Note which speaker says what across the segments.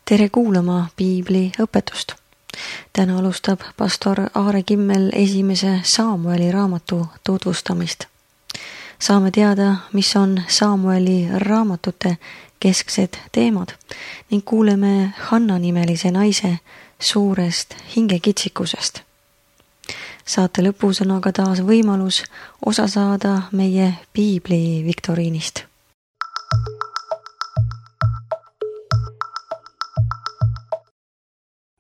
Speaker 1: Tere kuulama Piibli õpetust. Täna alustab pastor Aare Kimmel esimese Saamueli raamatu tutvustamist. Saame teada, mis on Saamueli raamatute kesksed teemad ning kuuleme Hanna nimelise naise suurest hingekitsikusest. Saate lõpus on aga taas võimalus osa saada meie Piibli viktoriinist.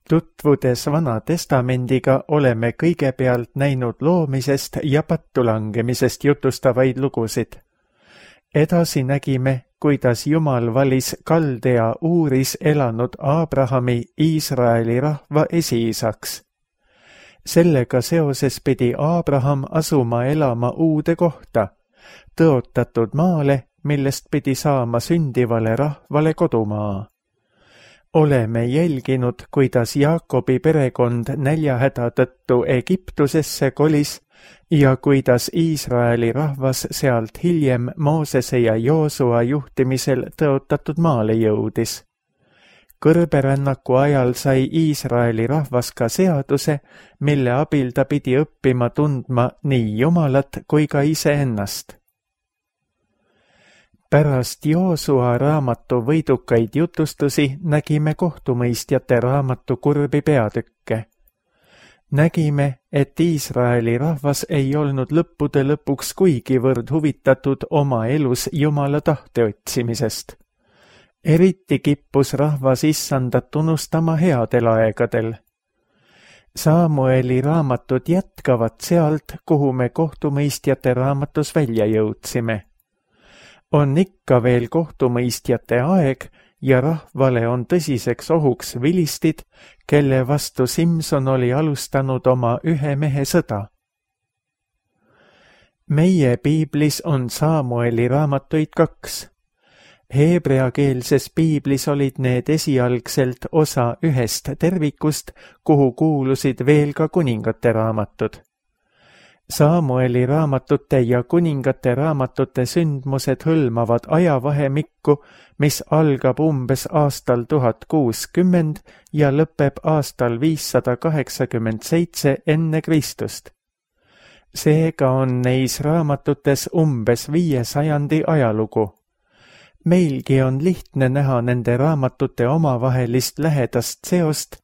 Speaker 2: Tutvudes Vana Testamendiga oleme kõigepealt näinud loomisest ja pattulangemisest jutustavaid lugusid. Edasi nägime, kuidas Jumal valis Kaldea Uuris elanud Aabrahami Iisraeli rahva esiisaks. Sellega seoses pidi Aabraham asuma elama uude kohta, tõotatud maale, millest pidi saama sündivale rahvale kodumaa. Oleme jälginud, kuidas Jaakobi perekond näljahäda tõttu Egiptusesse kolis ja kuidas Iisraeli rahvas sealt hiljem Moosese ja Joosua juhtimisel tõotatud maale jõudis. Kõrberännaku ajal sai Iisraeli rahvas ka seaduse, mille abil ta pidi õppima tundma nii Jumalat kui ka iseennast. Pärast Joosua raamatu võidukaid jutustusi nägime kohtumõistjate raamatu kurbi peatükke. Nägime, et Iisraeli rahvas ei olnud lõppude lõpuks kuigivõrd huvitatud oma elus Jumala tahte otsimisest. Eriti kippus rahvas issandat unustama headel aegadel. Saamueli raamatud jätkavad sealt, kuhu me kohtumõistjate raamatus välja jõudsime. On ikka veel kohtumõistjate aeg ja rahvale on tõsiseks ohuks vilistid, kelle vastu Simson oli alustanud oma ühe mehe sõda. Meie piiblis on Saamueli raamatuid 2. Heebreakeelses piiblis olid need esialgselt osa ühest tervikust, kuhu kuulusid veel ka kuningate raamatud. Saamueli raamatute ja kuningate raamatute sündmused hõlmavad ajavahemikku, mis algab umbes aastal 1060 ja lõpeb aastal 587 enne Kristust. Seega on neis raamatutes umbes 500 ajalugu. Meilgi on lihtne näha nende raamatute omavahelist lähedast seost,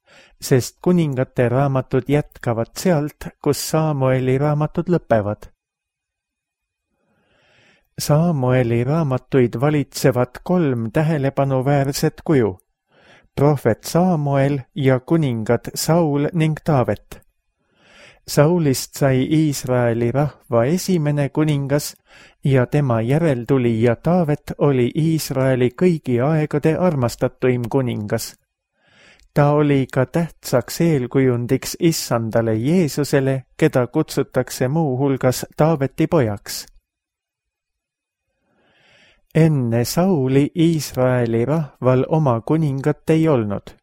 Speaker 2: sest kuningate raamatud jätkavad sealt, kus Saamueli raamatud lõpevad. Saamueli raamatuid valitsevad 3 tähelepanuväärset kuju: prohvet Saamuel ja kuningad Saul ning Taavet. Saulist sai Iisraeli rahva esimene kuningas ja tema järeltulija Taavet oli Iisraeli kõigi aegade armastatuim kuningas. Ta oli ka tähtsaks eelkujundiks issandale Jeesusele, keda kutsutakse muu hulgas Taaveti pojaks. Enne Sauli Iisraeli rahval oma kuningat ei olnud.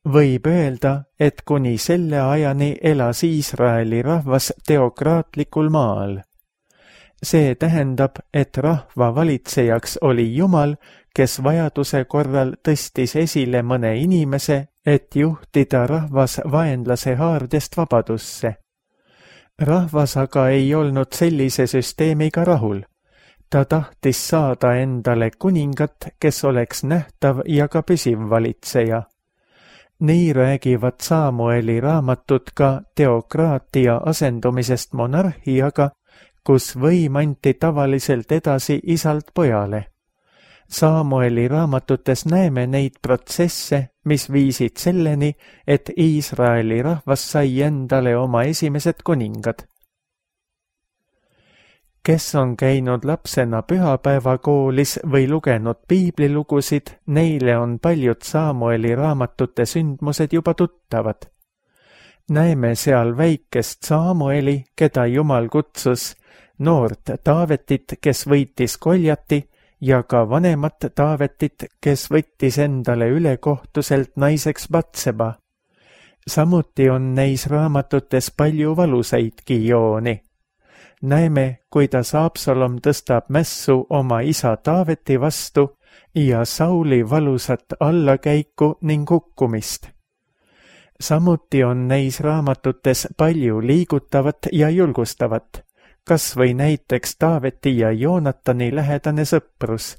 Speaker 2: Võib öelda, et kuni selle ajani elas Iisraeli rahvas teokraatlikul maal. See tähendab, et rahva valitsejaks oli Jumal, kes vajaduse korral tõstis esile mõne inimese, et juhtida rahvas vaenlase haardest vabadusse. Rahvas aga ei olnud sellise süsteemiga rahul. Ta tahtis saada endale kuningat, kes oleks nähtav ja ka püsiv valitseja. Nii räägivad Saamueli raamatud ka teokraatia asendumisest monarhiaga, kus võim anti tavaliselt edasi isalt pojale. Saamueli raamatutes näeme neid protsesse, mis viisid selleni, et Iisraeli rahvas sai endale oma esimesed kuningad. Kes on käinud lapsena pühapäevakoolis või lugenud piiblilugusid, neile on paljud Saamueli raamatute sündmused juba tuttavad. Näeme seal väikest Saamueli, keda Jumal kutsus, noort Taavetit, kes võitis Goljati, ja ka vanemat Taavetit, kes võttis endale ülekohtuselt naiseks Batseba. Samuti on neis raamatutes palju valusaidki jooni. Näeme, kuidas Absalom tõstab mässu oma isa Taaveti vastu ja Sauli valusat allakäiku ning hukkumist. Samuti on neis raamatutes palju liigutavat ja julgustavat, kas või näiteks Taaveti ja Joonatani lähedane sõprus.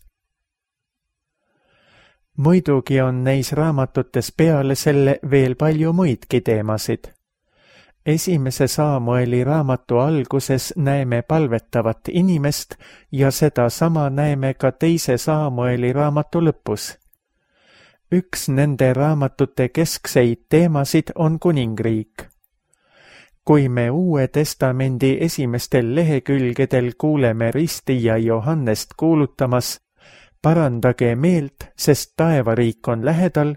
Speaker 2: Muidugi on neis raamatutes peale selle veel palju muidki teemasid. Esimese Saamueli raamatu alguses näeme palvetavat inimest ja sedasama näeme ka teise Saamueli raamatu lõpus. Üks nende raamatute keskseid teemasid on kuningriik. Kui me Uue Testamendi esimestel lehekülgedel kuuleme ristija Johannest kuulutamas "Parandage meelt, sest taevariik on lähedal",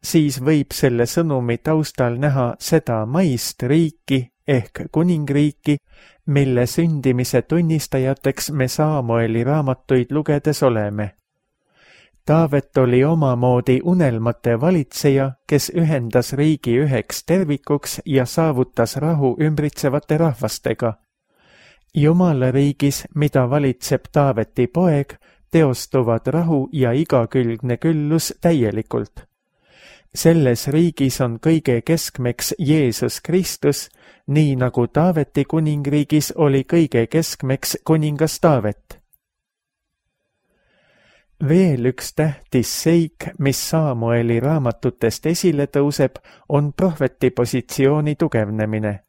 Speaker 2: siis võib selle sõnumi taustal näha seda maist riiki ehk kuningriiki, mille sündimise tunnistajateks me Saamueli raamatuid lugedes oleme. Taavet oli omamoodi unelmate valitseja, kes ühendas riigi üheks tervikuks ja saavutas rahu ümbritsevate rahvastega. Jumala riigis, mida valitseb Taaveti poeg, teostuvad rahu ja igakülgne küllus täielikult. Selles riigis on kõige keskmeks Jeesus Kristus, nii nagu Taaveti kuningriigis oli kõige keskmeks kuningas Taavet. Veel üks tähtis seik, mis Saamueli raamatutest esile tõuseb, on prohveti positsiooni tugevnemine.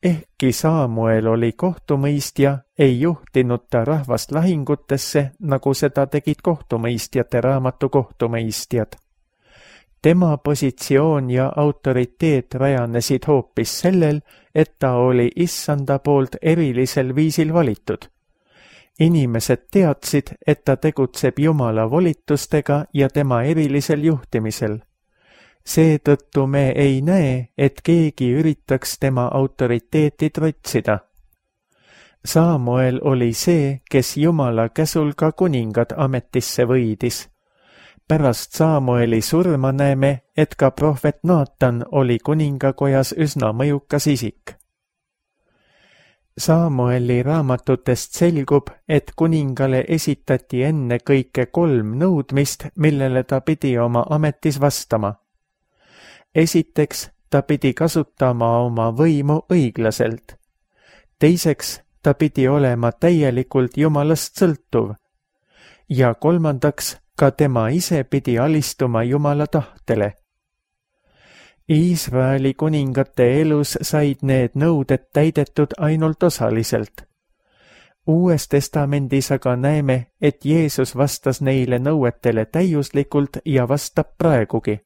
Speaker 2: Ehkki Saamuel oli kohtumõistja, ei juhtinud ta rahvast lahingutesse, nagu seda tegid kohtumõistjate raamatu kohtumõistjad. Tema positsioon ja autoriteet rajanesid hoopis sellel, et ta oli Issanda poolt erilisel viisil valitud. Inimesed teadsid, et ta tegutseb Jumala volitustega ja tema erilisel juhtimisel. Seetõttu me ei näe, et keegi üritaks tema autoriteeti trotsida. Saamuel oli see, kes Jumala käsul ka kuningad ametisse võidis. Pärast Saamueli surma näeme, et ka prohvet Naatan oli kuningakojas üsna mõjukas isik. Saamueli raamatutest selgub, et kuningale esitati enne kõike 3 nõudmist, millele ta pidi oma ametis vastama. Esiteks, ta pidi kasutama oma võimu õiglaselt. Teiseks, ta pidi olema täielikult Jumalast sõltuv. Ja kolmandaks, ka tema ise pidi alistuma Jumala tahtele. Iisraeli kuningate elus said need nõuded täidetud ainult osaliselt. Uues testamendis aga näeme, et Jeesus vastas neile nõuetele täiuslikult ja vastab praegugi.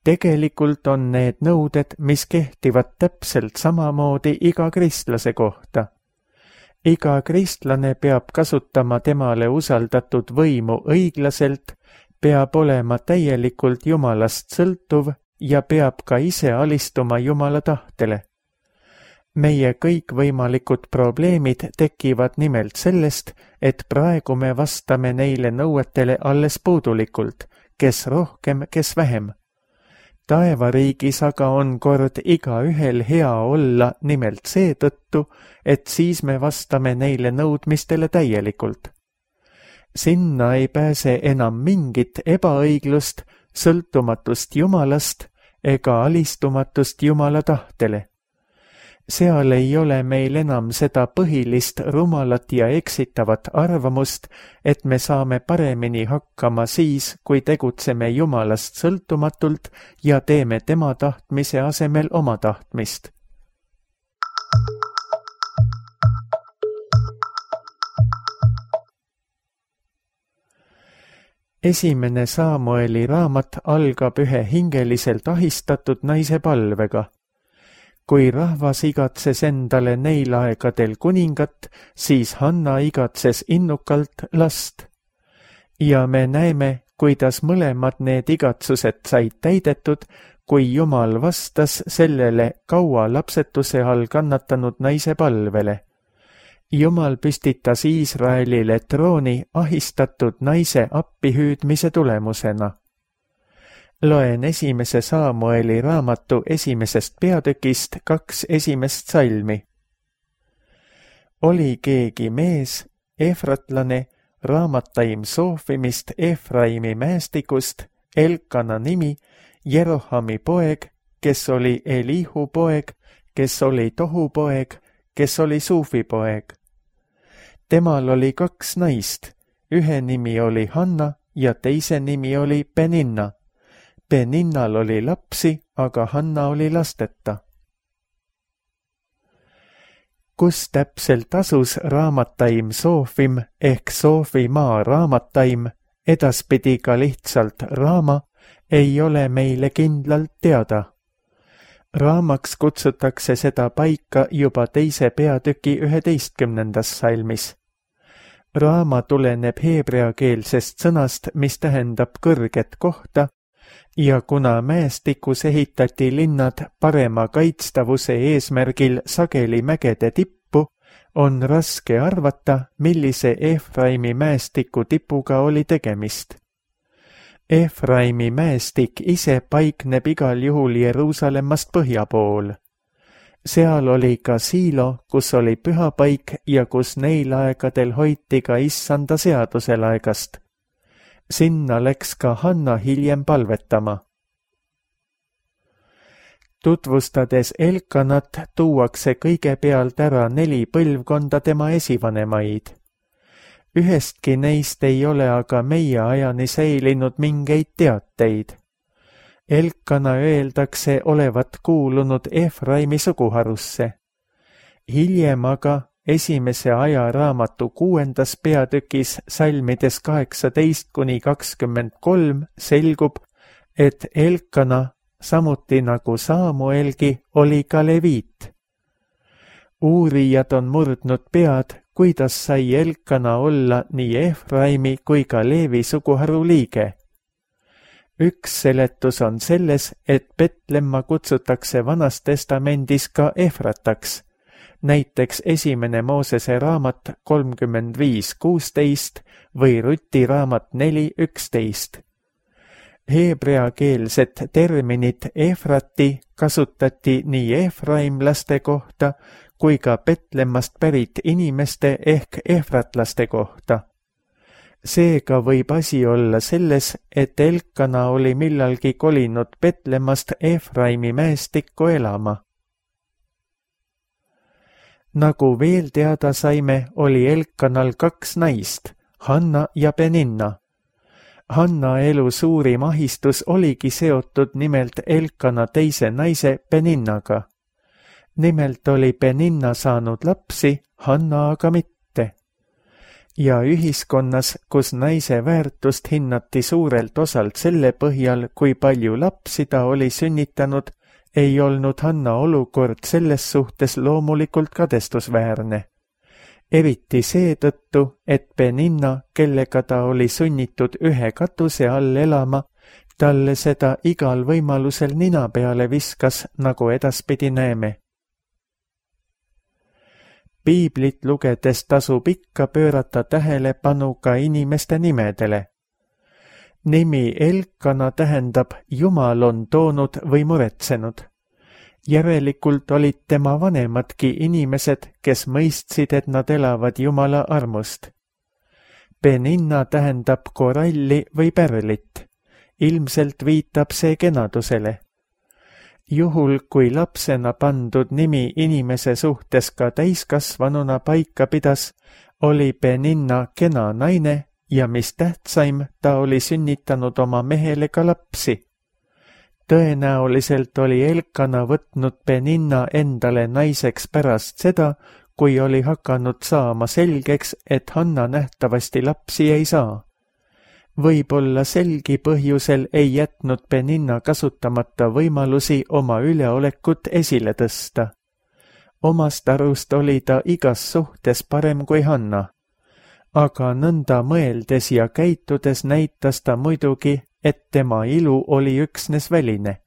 Speaker 2: Tegelikult on need nõuded, mis kehtivad täpselt samamoodi iga kristlase kohta. Iga kristlane peab kasutama temale usaldatud võimu õiglaselt, peab olema täielikult Jumalast sõltuv ja peab ka ise alistuma Jumala tahtele. Meie kõikvõimalikud probleemid tekivad nimelt sellest, et praegu me vastame neile nõuetele alles puudulikult, kes rohkem, kes vähem. Taevariigis aga on kord igaühel hea olla nimelt seetõttu, et siis me vastame neile nõudmistele täielikult. Sinna ei pääse enam mingit ebaõiglust, sõltumatust Jumalast ega alistumatust Jumala tahtele. Seal ei ole meil enam seda põhilist rumalat ja eksitavat arvamust, et me saame paremini hakkama siis, kui tegutseme Jumalast sõltumatult ja teeme tema tahtmise asemel oma tahtmist. Esimene Saamueli raamat algab ühe hingeliselt ahistatud naise palvega. Kui rahvas igatses endale neil aegadel kuningat, siis Hanna igatses innukalt last. Ja me näeme, kuidas mõlemad need igatsused said täidetud, kui Jumal vastas sellele kaua lapsetuse all kannatanud naise palvele. Jumal püstitas Iisraelile trooni ahistatud naise appihüüdmise tulemusena. Loen esimese Saamueli raamatu esimesest peatükist 2 esimest salmi. Oli keegi mees, efratlane, Raamataim Soofimist Efraimi mäestikust, Elkana nimi, Jerohami poeg, kes oli Elihu poeg, kes oli Tohu poeg, kes oli Suufi poeg. Temal oli 2 naist, ühe nimi oli Hanna ja teise nimi oli Peninna. Peninnal oli lapsi, aga Hanna oli lasteta. Kus täpselt asus Raamataim Soofim ehk Soofimaa Raamataim, edaspidi ka lihtsalt Raama, ei ole meile kindlalt teada. Raamaks kutsutakse seda paika juba 2. peatüki 11. salmis. Raama tuleneb heebreakeelsest sõnast, mis tähendab kõrget kohta, ja kuna mäestikus ehitati linnad parema kaitstavuse eesmärgil sageli mägede tippu, on raske arvata, millise Efraimi mäestiku tipuga oli tegemist. Efraimi mäestik ise paikneb igal juhul Jeruusalemmast põhja pool. Seal oli ka Siilo, kus oli pühapaik ja kus neil aegadel hoiti ka issanda seaduselaegast. Sinna läks ka Hanna hiljem palvetama. Tutvustades Elkanat tuuakse kõigepealt ära 4 põlvkonda tema esivanemaid. Ühestki neist ei ole aga meie ajani säilinud mingeid teateid. Elkana öeldakse olevat kuulunud Efraimi suguharusse. Hiljem aga 1. ajaraamatu 6. peatükis salmides 18-23 selgub, et Elkana, samuti nagu Saamuelgi, oli ka leviit. Uurijad on murdnud pead, kuidas sai Elkana olla nii Efraimi kui ka Leevi suguharu liige. Üks seletus on selles, et Petlemma kutsutakse Vanas Testamendis ka Efrataks, näiteks 1. Moosese raamat 35:16 või Ruti raamat 4:11. Heebreakeelset terminit Efrati kasutati nii efraimlaste kohta kui ka Petlemmast pärit inimeste ehk efratlaste kohta. Seega võib asi olla selles, et Elkana oli millalgi kolinud Petlemmast Efraimi mäestikku elama. Nagu veel teada saime, oli Elkanal 2 naist, Hanna ja Peninna. Hanna elu suurim ahistus oligi seotud nimelt Elkana teise naise Peninnaga. Nimelt oli Peninna saanud lapsi, Hanna aga mitte. Ja ühiskonnas, kus naise väärtust hinnati suurelt osalt selle põhjal, kui palju lapsi ta oli sünnitanud, ei olnud Hanna olukord selles suhtes loomulikult kadestusväärne. Eriti seetõttu, et Peninna, kellega ta oli sunnitud ühe katuse all elama, talle seda igal võimalusel nina peale viskas, nagu edaspidi näeme. Piiblit lugedes tasub ikka pöörata tähelepanu ka inimeste nimedele. Nimi Elkana tähendab Jumal on toonud või muretsenud. Järelikult olid tema vanemadki inimesed, kes mõistsid, et nad elavad Jumala armust. Peninna tähendab koralli või pärlit. Ilmselt viitab see kenadusele. Juhul, kui lapsena pandud nimi inimese suhtes ka täiskasvanuna paika pidas, oli Peninna kena naine ja mis tähtsaim, ta oli sünnitanud oma mehele ka lapsi. Tõenäoliselt oli Elkana võtnud Peninna endale naiseks pärast seda, kui oli hakanud saama selgeks, et Hanna nähtavasti lapsi ei saa. Võib-olla selgi põhjusel ei jätnud Peninna kasutamata võimalusi oma üleolekut esile tõsta. Omast arust oli ta igas suhtes parem kui Hanna. Aga nõnda mõeldes ja käitudes näitas ta muidugi, et tema ilu oli üksnes väline.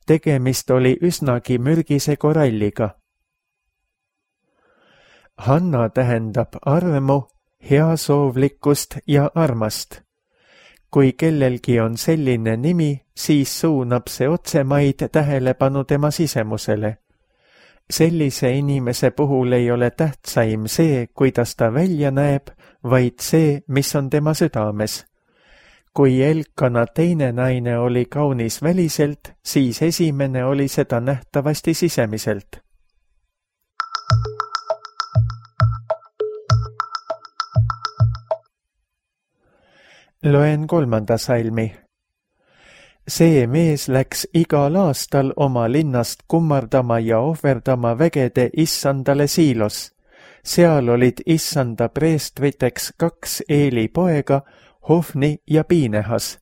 Speaker 2: Tegemist oli üsnagi mürgise koralliga. Hanna tähendab armu, heasoovlikkust ja armast. Kui kellelgi on selline nimi, siis suunab see otsemaid tähelepanu tema sisemusele. Sellise inimese puhul ei ole tähtsaim see, kuidas ta välja näeb, vaid see, mis on tema südames. Kui Elkana teine naine oli kaunis väliselt, siis esimene oli seda nähtavasti sisemiselt. Loen 3. salmi. See mees läks igal aastal oma linnast kummardama ja ohverdama vägede issandale Siilos. Seal olid issanda preestriteks 2 Eeli poega, Hofni ja Piinehas.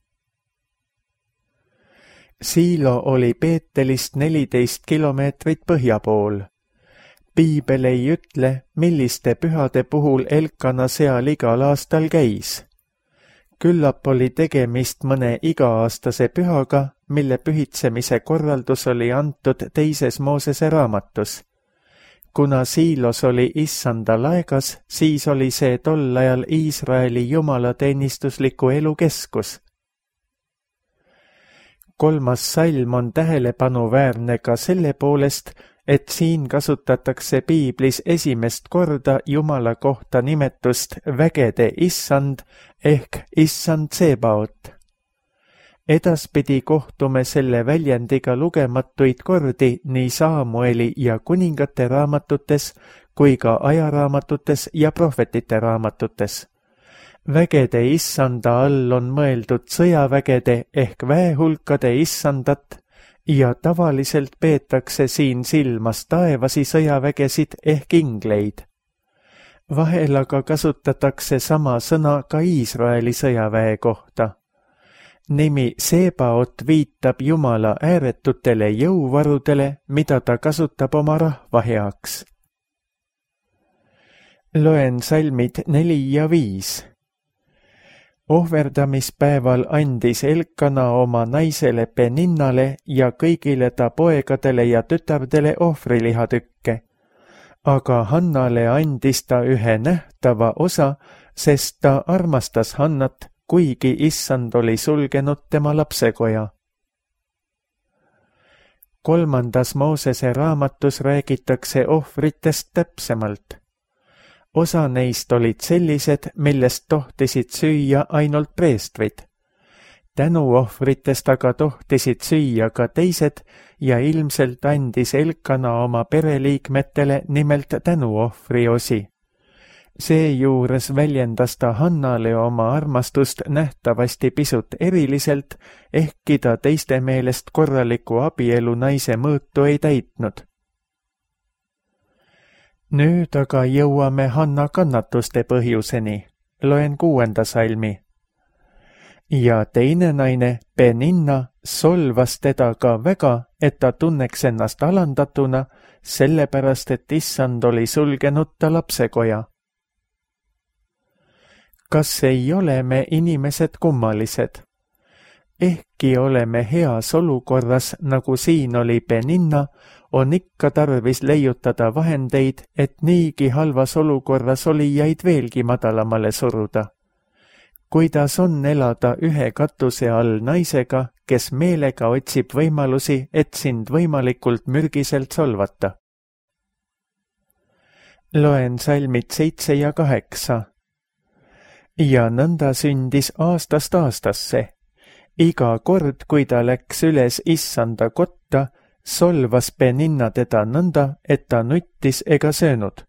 Speaker 2: Siilo oli Beetelist 14 kilomeetrit põhja pool. Piibel ei ütle, milliste pühade puhul Elkana seal igal aastal käis. Küllap oli tegemist mõne iga-aastase pühaga, mille pühitsemise korraldus oli antud 2. Moosese raamatus. Kuna Siilos oli issanda laegas, siis oli see tol ajal Iisraeli jumalateenistusliku elu keskus. 3. salm on tähelepanuväärne ka selle poolest, et siin kasutatakse piiblis esimest korda Jumala kohta nimetust vägede issand ehk issand Tsebaot. Edaspidi kohtume selle väljendiga lugematuid kordi nii Saamueli ja kuningate raamatutes kui ka ajaraamatutes ja prohvetite raamatutes. Vägede issanda all on mõeldud sõjavägede ehk väehulkade issandat ja tavaliselt peetakse siin silmas taevasi sõjavägesid ehk ingleid. Vahel aga kasutatakse sama sõna ka Iisraeli sõjaväe kohta. Nimi Sebaot viitab Jumala ääretutele jõuvarudele, mida ta kasutab oma rahva heaks. Loen salmid 4 ja 5. Ohverdamispäeval andis Elkana oma naisele Peninnale ja kõigile ta poegadele ja tütardele ohvrilihatükke. Aga Hannale andis ta ühe nähtava osa, sest ta armastas Hannat, kuigi issand oli sulgenud tema lapsekoja. 3. Moosese raamatus räägitakse ohvritest täpsemalt. Osa neist olid sellised, millest tohtisid süüa ainult preestrid. Tänuohvritest aga tohtisid süüa ka teised ja ilmselt andis Elkana oma pereliikmetele nimelt tänuohvri osi. Seejuures väljendas ta Hannale oma armastust nähtavasti pisut eriliselt, ehkki ta teiste meelest korraliku abielu naise mõõtu ei täitnud. Nüüd aga jõuame Hanna kannatuste põhjuseni. Loen 6. salmi. Ja teine naine, Peninna, solvas teda ka väga, et ta tunneks ennast alandatuna, sellepärast et issand oli sulgenud ta lapsekoja. Kas ei ole me inimesed kummalised? Ehkki oleme heas olukorras, nagu siin oli Peninna, on ikka tarvis leiutada vahendeid, et niigi halvas olukorras olijaid veelgi madalamale suruda. Kuidas on elada ühe katuse all naisega, kes meelega otsib võimalusi, et sind võimalikult mürgiselt solvata? Loen salmid 7 ja 8. Ja nõnda sündis aastast aastasse. Iga kord, kui ta läks üles issanda kotta, solvas Peninna teda nõnda, et ta nuttis ega söönud.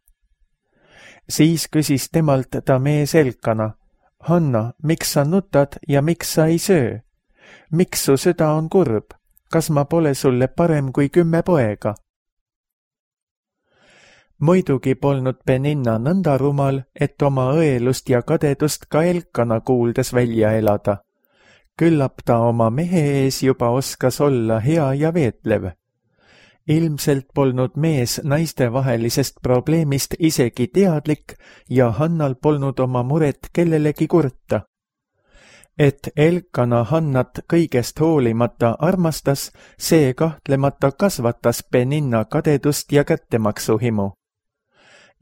Speaker 2: Siis küsis temalt ta mees Elkana, Hanna, miks sa nutad ja miks sa ei söö? Miks su süda on kurb? Kas ma pole sulle parem kui 10 poega? Muidugi polnud Peninna nõnda rumal, et oma õelust ja kadedust ka Elkana kuuldes välja elada. Küllap ta oma mehe ees juba oskas olla hea ja veetlev. Ilmselt polnud mees naistevahelisest probleemist isegi teadlik ja Hannal polnud oma muret kellelegi kurta. Et Elkana Hannat kõigest hoolimata armastas, see kahtlemata kasvatas Peninna kadedust ja kättemaksuhimu.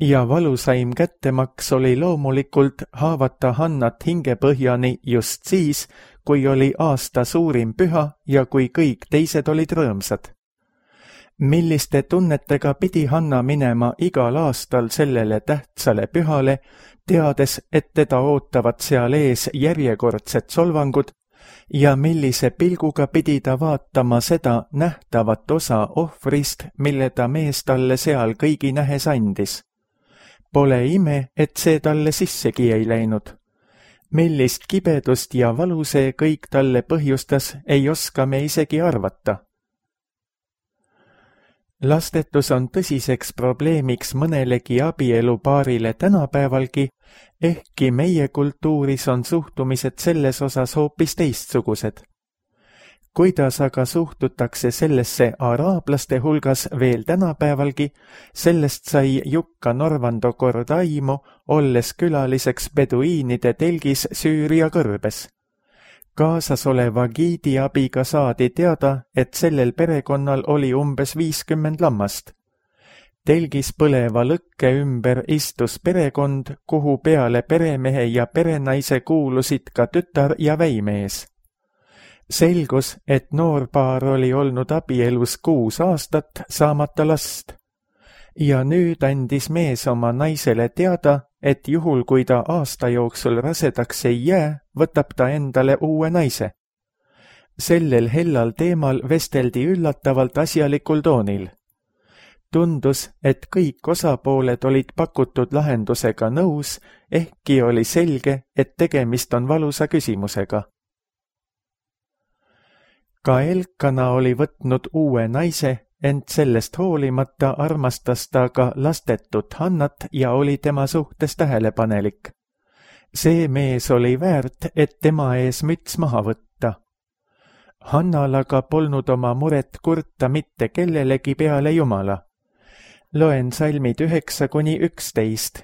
Speaker 2: Ja valusaim kättemaks oli loomulikult haavata Hannat hingepõhjani just siis, kui oli aasta suurim püha ja kui kõik teised olid rõõmsad. milliste tunnetega pidi Hanna minema igal aastal sellele tähtsale pühale, teades, et teda ootavad seal ees järjekordsed solvangud, ja millise pilguga pidi ta vaatama seda nähtavat osa ohvrist, mille ta mees talle seal kõigi nähes andis. Pole ime, et see talle sissegi ei läinud. Millist kibedust ja valu see kõik talle põhjustas, ei oska me isegi arvata. Lastetus on tõsiseks probleemiks mõnelegi abielupaarile tänapäevalgi, ehkki meie kultuuris on suhtumised selles osas hoopis teistsugused. Kuidas aga suhtutakse sellesse araablaste hulgas veel tänapäevalgi, sellest sai Jukka Norvando kord aimu, olles külaliseks beduiinide telgis Süüria kõrbes. Kaasas oleva giidi abiga saadi teada, et sellel perekonnal oli umbes 50 lammast. Telgis põleva lõkke ümber istus perekond, kuhu peale peremehe ja perenaise kuulusid ka tütar ja väimees. Selgus, et noorpaar oli olnud abielus 6 aastat saamata last. Ja nüüd andis mees oma naisele teada, et juhul kui ta aasta jooksul rasedaks ei jää, võtab ta endale uue naise. Sellel hellal teemal vesteldi üllatavalt asjalikul toonil. Tundus, et kõik osapooled olid pakutud lahendusega nõus, ehkki oli selge, et tegemist on valusa küsimusega. Ka Elkana oli võtnud uue naise, ent sellest hoolimata armastas ta ka lastetut Hannat ja oli tema suhtes tähelepanelik. See mees oli väärt, et tema ees müts maha võtta. Hannal aga polnud oma muret kurta mitte kellelegi peale Jumala. Loen salmid 9-11.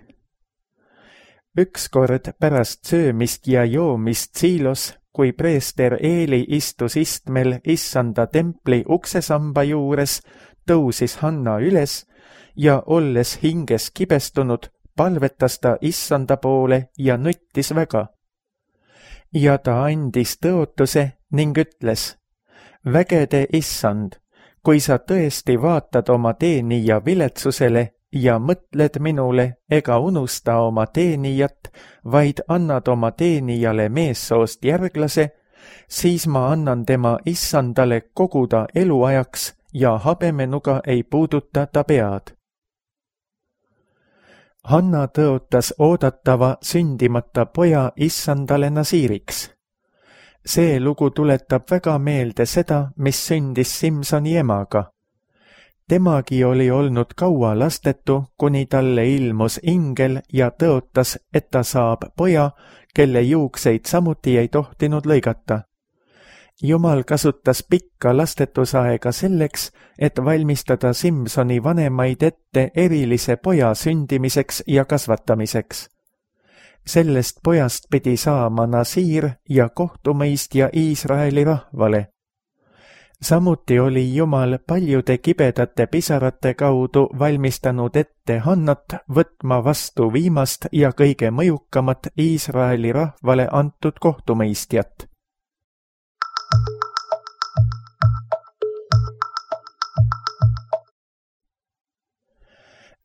Speaker 2: Ükskord pärast söömist ja joomist Siilos, kui preester Eeli istus istmel issanda templi uksesamba juures, tõusis Hanna üles ja olles hinges kibestunud, palvetas ta issanda poole ja nuttis väga. Ja ta andis tõotuse ning ütles, vägede issand, kui sa tõesti vaatad oma teenija viletsusele ja mõtled minule ega unusta oma teenijat, vaid annad oma teenijale meessoost järglase, siis ma annan tema issandale koguda eluajaks ja habemenuga ei puuduta ta pead. Hanna tõotas oodatava sündimata poja issandale Nasiiriks. See lugu tuletab väga meelde seda, mis sündis Simsoni emaga. Temagi oli olnud kaua lastetu, kuni talle ilmus ingel ja tõotas, et ta saab poja, kelle juukseid samuti ei tohtinud lõigata. Jumal kasutas pikka lastetusaega selleks, et valmistada Simsoni vanemaid ette erilise poja sündimiseks ja kasvatamiseks. Sellest pojast pidi saama Nasiir ja kohtumõistja Iisraeli rahvale. Samuti oli Jumal paljude kibedate pisarate kaudu valmistanud ette Hannat võtma vastu viimast ja kõige mõjukamat Iisraeli rahvale antud kohtumõistjat.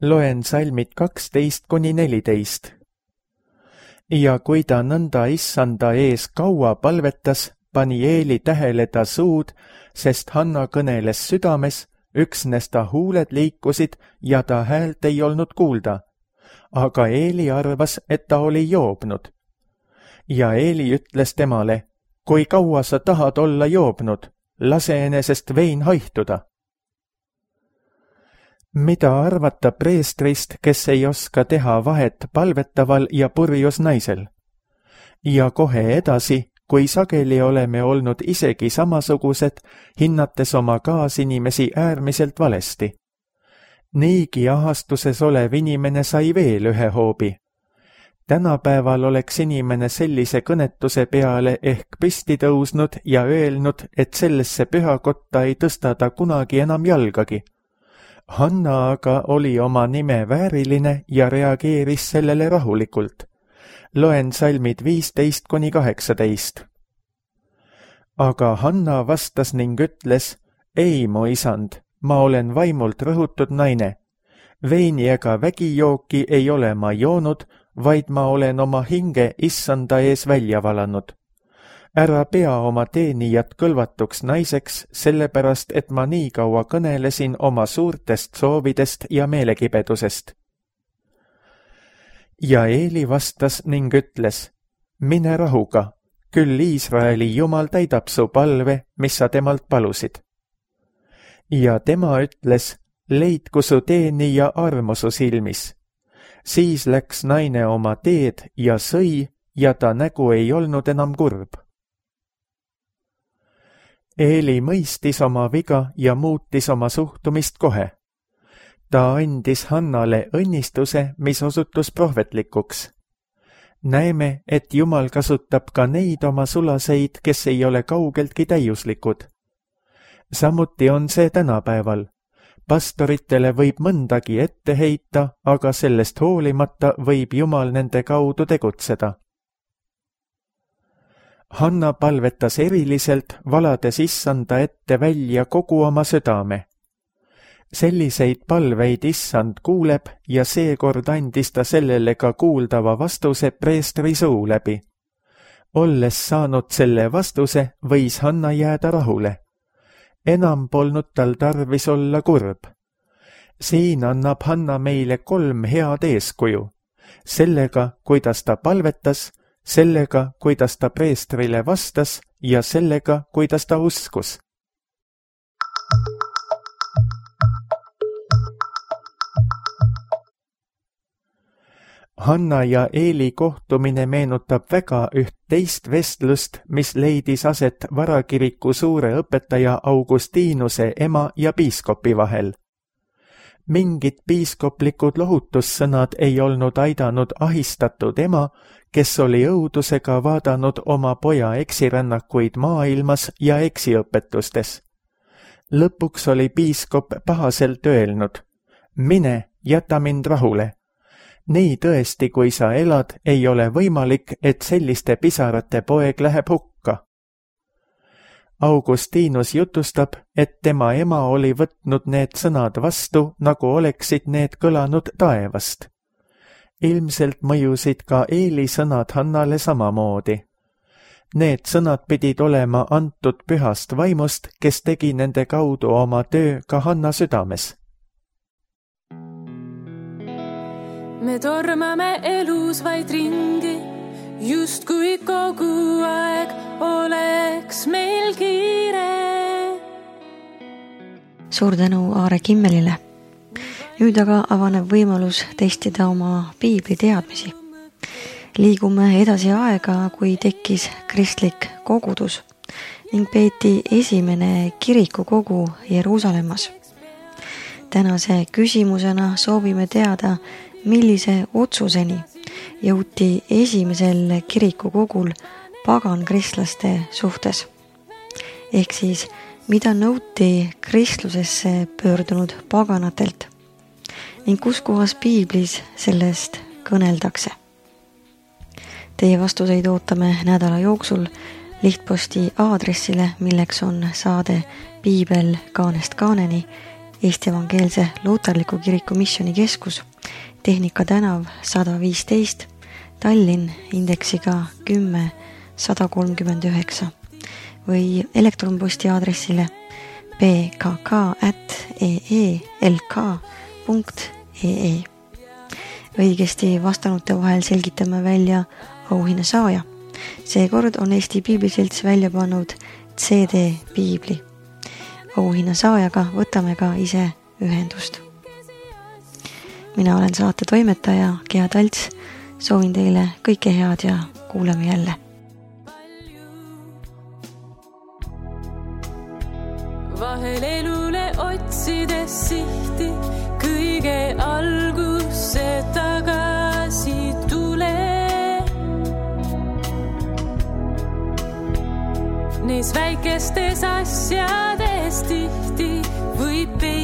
Speaker 2: Loen salmid 12-14. Ja kui ta nõnda issanda ees kaua palvetas, pani Eeli tähele ta suud, sest Hanna kõneles südames, üksnes ta huuled liikusid ja ta häält ei olnud kuulda. Aga Eeli arvas, et ta oli joobnud. Ja Eeli ütles temale, kui kaua sa tahad olla joobnud, lase enesest vein haihtuda. Mida arvata preestrist, kes ei oska teha vahet palvetaval ja purjus naisel? Ja kohe edasi, kui sageli oleme olnud isegi samasugused, hinnates oma kaasinimesi äärmiselt valesti. Niigi ahastuses olev inimene sai veel ühe hoobi. Tänapäeval oleks inimene sellise kõnetuse peale ehk püsti tõusnud ja öelnud, et sellesse pühakotta ei tõsta ta kunagi enam jalgagi. Hanna aga oli oma nime vääriline ja reageeris sellele rahulikult. Loen salmid 15-18. Aga Hanna vastas ning ütles, ei, mu isand, ma olen vaimult rõhutud naine. Veini ega vägijooki ei ole ma joonud, vaid ma olen oma hinge issanda ees välja valanud. Ära pea oma teenijat kõlvatuks naiseks, sellepärast, et ma nii kaua kõnelesin oma suurtest soovidest ja meelekibedusest. Ja Eeli vastas ning ütles, mine rahuga, küll Iisraeli Jumal täidab su palve, mis sa temalt palusid. Ja tema ütles, leidku su teenija armu su silmis. Siis läks naine oma teed ja sõi, ja ta nägu ei olnud enam kurb. Eeli mõistis oma viga ja muutis oma suhtumist kohe. Ta andis Hannale õnnistuse, mis osutus prohvetlikuks. Näeme, et Jumal kasutab ka neid oma sulaseid, kes ei ole kaugeltki täiuslikud. Samuti on see tänapäeval. Pastoritele võib mõndagi ette heita, aga sellest hoolimata võib Jumal nende kaudu tegutseda. Hanna palvetas eriliselt, valades issanda ette välja kogu oma südame. Selliseid palveid issand kuuleb ja seekord andis ta sellele ka kuuldava vastuse preestri suu läbi. Olles saanud selle vastuse, võis Hanna jääda rahule. Enam polnud tal tarvis olla kurb. Siin annab Hanna meile 3 head eeskuju. Sellega, kuidas ta palvetas, sellega, kuidas ta preestrile vastas ja sellega, kuidas ta uskus. Hanna ja Eeli kohtumine meenutab väga üht teist vestlust, mis leidis aset varakiriku suure õpetaja Augustinuse ema ja piiskopi vahel. Mingid piiskoplikud lohutussõnad ei olnud aidanud ahistatud ema, kes oli õudusega vaadanud oma poja eksirännakuid maailmas ja eksiõpetustes. Lõpuks oli piiskop pahaselt öelnud, mine, jäta mind rahule. Nii tõesti, kui sa elad, ei ole võimalik, et selliste pisarate poeg läheb hukka. Augustinus jutustab, et tema ema oli võtnud need sõnad vastu, nagu oleksid need kõlanud taevast. Ilmselt mõjusid ka Eeli sõnad Hannale samamoodi. Need sõnad pidid olema antud pühast vaimust, kes tegi nende kaudu oma töö ka Hanna südames.
Speaker 3: Me tormame elus vaid ringi, just kui kogu aeg oleks meil kiire.
Speaker 1: Suur tänu Aare Kimmelile. Nüüd aga avaneb võimalus testida oma piibli teadmisi. Liigume edasi aega, kui tekkis kristlik kogudus ning peeti esimene kirikukogu Jeruusalemmas. Tänase küsimusena soovime teada, millise otsuseni jõuti esimesel kirikukogul pagankristlaste suhtes. Ehk siis, mida nõuti kristlusesse pöördunud paganatelt ning kus kohas piiblis sellest kõneldakse. Teie vastuseid ootame nädala jooksul lihtposti aadressile, milleks on saade Piibel kaanest kaaneni, Eesti Evangeelse Luuterliku Kiriku Missioonikeskus, Tehnika tänav 115, Tallinn indeksiga 10139 või elektronposti aadressile pkk@eelk.ee. Õigesti vastanute vahel selgitame välja auhinna saaja. Seekord on Eesti Piibliselts välja pannud CD piibli. Auhinna saajaga võtame ka ise ühendust. Mina olen saate toimetaja Gea Talts. Soovin teile kõike head ja kuuleme jälle.
Speaker 3: Vahel elule otsides sihti, kõige algusse tagasi tule. Neis väikestes asjades tihti võib peita